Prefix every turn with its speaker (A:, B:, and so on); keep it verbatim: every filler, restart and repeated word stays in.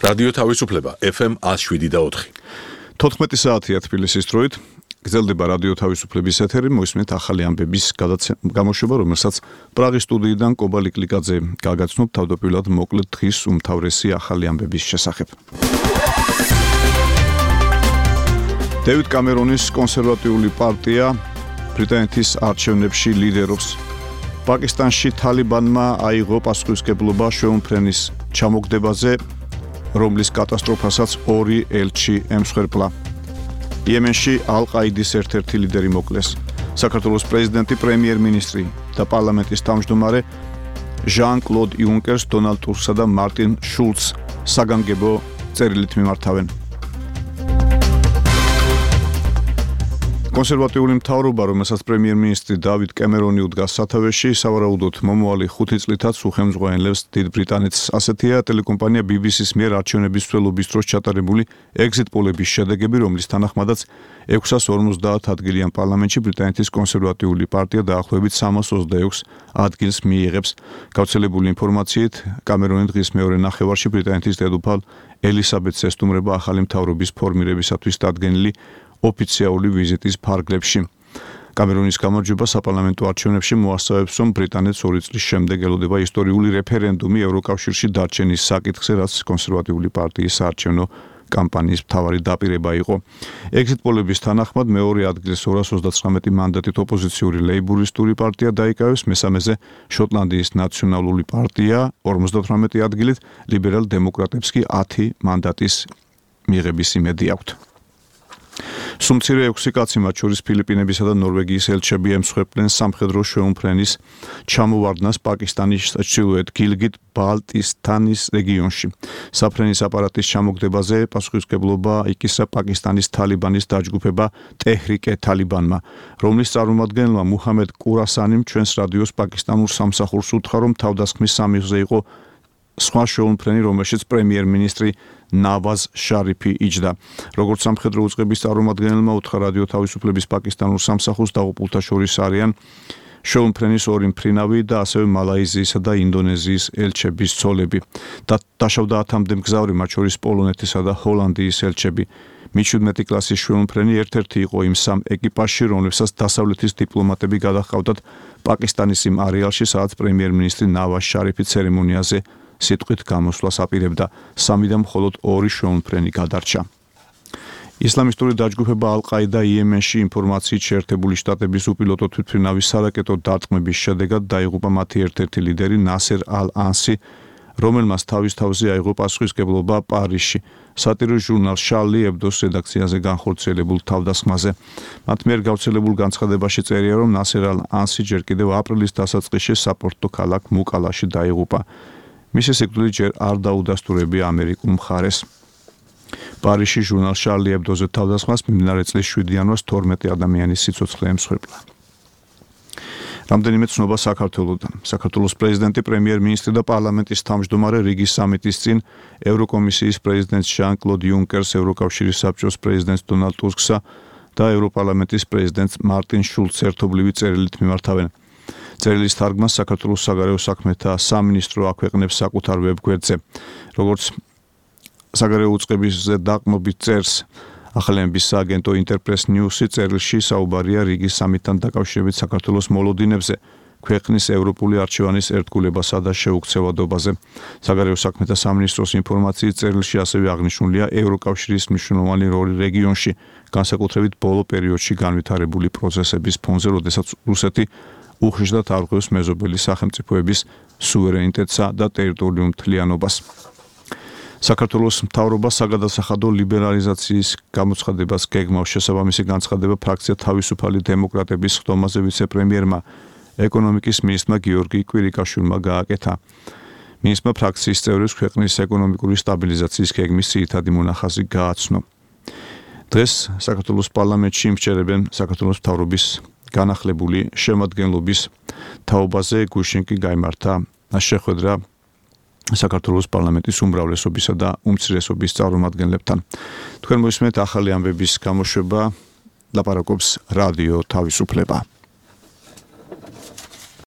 A: რადიო თავისუფლება ეფ ემ one oh seven და four.
B: თოთხმეტი საათია თბილისის დროით. გრძელდება რადიო თავისუფლების ეთერი, მოისმენთ ახალი ამბების გამოშვება, რომელსაც პრაღის სტუდიიდან კობა ლიკლიკაძე გაგაცნობ თავდაპირველად მოკლედ დღის უმთავრესი ახალი ამბების შესახებ. დევიდ კამერონის კონსერვატიული პარტია ბრიტანეთის არჩევნებში ლიდერობს. პაკისტანში თალიბანმა აიღო პასუხისმგებლობა შვეულმფრენის ჩამოგდებაზე, რომლის კატასტროფასაც ორი ელჩი ემსხვერპლა. იემენში ალ-ყაიდის ერთ-ერთი ლიდერი მოკლეს. საქართველოს პრეზიდენტი, პრემიერ-მინისტრი და პარლამენტის თავმჯდომარე ჟან-კლოდ იუნკერს, დონალდ ტუსკსა და მარტინ შულცს საგანგებო წერილით მიმართავენ. კონსერვატიული მთავრობა, რომელსაც პრემიერ-მინისტრი დავიდ კემერონი უდგას სათავეში, სავარაუდოდ მომავალი ხუთი წლითაც უხელმძღვანელებს დიდ ბრიტანეთს. ასეთია ტელეკომპანია ბი ბი სის მიერ არჩევნების მსვლელობის დროს ჩატარებული ეგზიტ პოლების შედეგები, რომლის თანახმადაც ექვსას ორმოცდაათ ადგილიან პარლამენტში ბრიტანეთის კონსერვატიული პარტია დაახლოებით სამას ოცდაექვს ადგილს მიიღებს. გავრცელებული ინფორმაციით, კამერონი დღის მეორე ნახევარში ბრიტანეთის დედოფალ ელისაბედს ესტუმრება ახალი მთავრობის ფორმირებისათვის დადგენილი ოფიციალური ვიზიტის ფარგლებში. კამერონის გამარჯვება საპარლამენტო არჩევნებში მოასწავებს, რომ ბრიტანეთს ორი წლის შემდეგ ელოდება ისტორიული რეფერენდუმი ევროკავშირში დარჩენის საკითხზე, რაც კონსერვატიული პარტიის საარჩევნო კამპანიის მთავარი დაპირება იყო. ეგზიტ პოლების თანახმად მეორე ადგილს ორას ოცდათვრამეტი მანდატით ოპოზიციური ლეიბურისტული პარტია დაიკავებს, მესამეზე შოტლანდიის ნაციონალური პარტია ორმოცდათვრამეტი ადგილით, ლიბერალ დემოკრატებს კი ათი მანდატის მიღების იმედი აქვთ. სუმცირე ექვსი კაცი, მათ შორის ფილიპინებისა და ნორვეგიის ელჩები ემსხვერპლენ სამხედრო შვეულმფრენის ჩამოვარდნას პაკისტანის ჩრდილოეთ გილგიტ-ბალტისტანის რეგიონში. საფრენის აპარატის ჩამოგდებაზე პასუხისმგებლობა იკისრა პაკისტანის თალიბანის დაჯგუფება ტეჰრიკე თალიბანმა, რომლის წარმომადგენელმა მუჰამედ კურასანიმ ჩვენს რადიოს პაკისტანურ სამსახურს უთხრა, რომ თავდასხმის სამიღზე იყო სხვა შვეულმფრენი, რომელშიც პრემიერ-მინისტრი ნავაზ შარიფი იჯდა. როგორც სამხედრო უწყების წარმომადგენელმა უთხრა რადიო თავისუფლების პაკისტანურ სამსახურს, დაღუპულთა შორის არიან შვეულმფრენის ორი მფრინავი და ასევე მალაიზიისა და ინდონეზიის ელჩების ცოლები. და დაშავდა ათამდე მგზავრი, მათ შორის პოლონეთისა და ჰოლანდიის ელჩები. მეჩვიდმეტი კლასის შვეულმფრენი ერთ-ერთი იყო იმ სამ ეკიპაჟში, რომლებსაც დასავლეთის დიპლომატები გადაჰყავდათ პაკისტანის იმ არეალში, სადაც პრემიერ-მინისტრი ნავაზ შარიფი ცერემონიაზე სიტყვით გამოსვლას აპირებდა. სამი და მხოლოდ ორი შვეულმფრენი გადარჩა. ისლამისტური დაჯგუფება ალ-ყაიდა იემენში ინფორმაციით შეერთებული შტატების უპილოტო თვითმფრინავის სარაკეტო დარტყმების შედეგად დაიღუპა მათი ერთ-ერთი ლიდერი ნასერ ალ-ანსი, რომელმაც თავის თავზე აიღო პასუხისმგებლობა პარიზში სატირულ ჟურნალ შარლი ებდოს რედაქციაზე განხორციელებულ თავდასხმაზე. მათ მიერ გავრცელებულ განცხადებაში წერია, რომ ნასერ ალ-ანსი ჯერ კიდევ აპრილის დასაწყისში საპორტო ქალაქ მუკალაში დაიღუპა. მისი სიკვდილი ჯერ არ დაუდასტურებია ამერიკულ მხარეს. პარიზში ჟურნალ შარლი ებდოზე თავდასხმას მიმდინარე წლის შვიდი იანვარს თორმეტი ადამიანის სიცოცხლე ემსხვერპლა. რამდენიმე ცნობა საქართველოსთან. საქართველოს პრეზიდენტი, პრემიერ-მინისტრი და პარლამენტის თავმჯდომარე რიგის სამიტის წინ ევროკომისიის პრეზიდენტს ჟან-კლოდ იუნკერს, ევროკავშირის საბჭოს პრეზიდენტს დონალდ ტუსკსა და ევროპარლამენტის პრეზიდენტს მარტინ შულცს ერთობლივი წერილით მიმართავენ. წერილის თარგმანს საქართველოს საგარეო საქმეთა სამინისტრო აქვეყნებს საკუთარ ვებგვერდზე. როგორც საგარეო უწყებაზე დაყრდნობით წერს ახალი ამბების სააგენტო ინტერპრეს ნიუსი, წერილში საუბარია რიგის სამიტთან დაკავშირებით საქართველოს მოლოდინებზე, ქვეყნის ევროპული არჩევანის ერთგულებასა და შეუქცევადობაზე. საგარეო საქმეთა სამინისტროს ინფორმაციით წერილში ასევე აღნიშნულია ევროკავშირის მნიშვნელოვანი როლი რეგიონში, განსაკუთრებით ბოლო პერიოდში განვითარებული პროცესების ფონზე, როდესაც რუსეთი უხეშად არღვევს მეზობელი სახელმწიფოების სუვერენიტეტსა და ტერიტორიულ მთლიანობას. საქართველოს მთავრობა საგადასახადო ლიბერალიზაციის გამოცხადებას გეგმავს. შესაბამისი განცხადება ფრაქცია თავისუფალი დემოკრატების ხდომაზე ვიცე-პრემიერმა ეკონომიკის მინისტრმა გიორგი კვირიკაშვილმა გააკეთა. მინისტრმა ფრაქციის წევრებს ქვეყნის ეკონომიკური სტაბილიზაციის გეგმის ძირითადი მონახაზი გააცნო. დღეს საქართველოს პარლამენტში იმსჯერებენ საქართველოს მთავრობის განახლებული შემადგენლობის თაობაზე. გუშინ კი გაიმართა შეხვედრა საქართველოს პარლამენტის უმრავლესობისა და უმცირესობის წარმომადგენლებთან. თქვენ მოისმენთ ახალი ამბების გამოშვება, ლაპარაკობს რადიო თავისუფლება.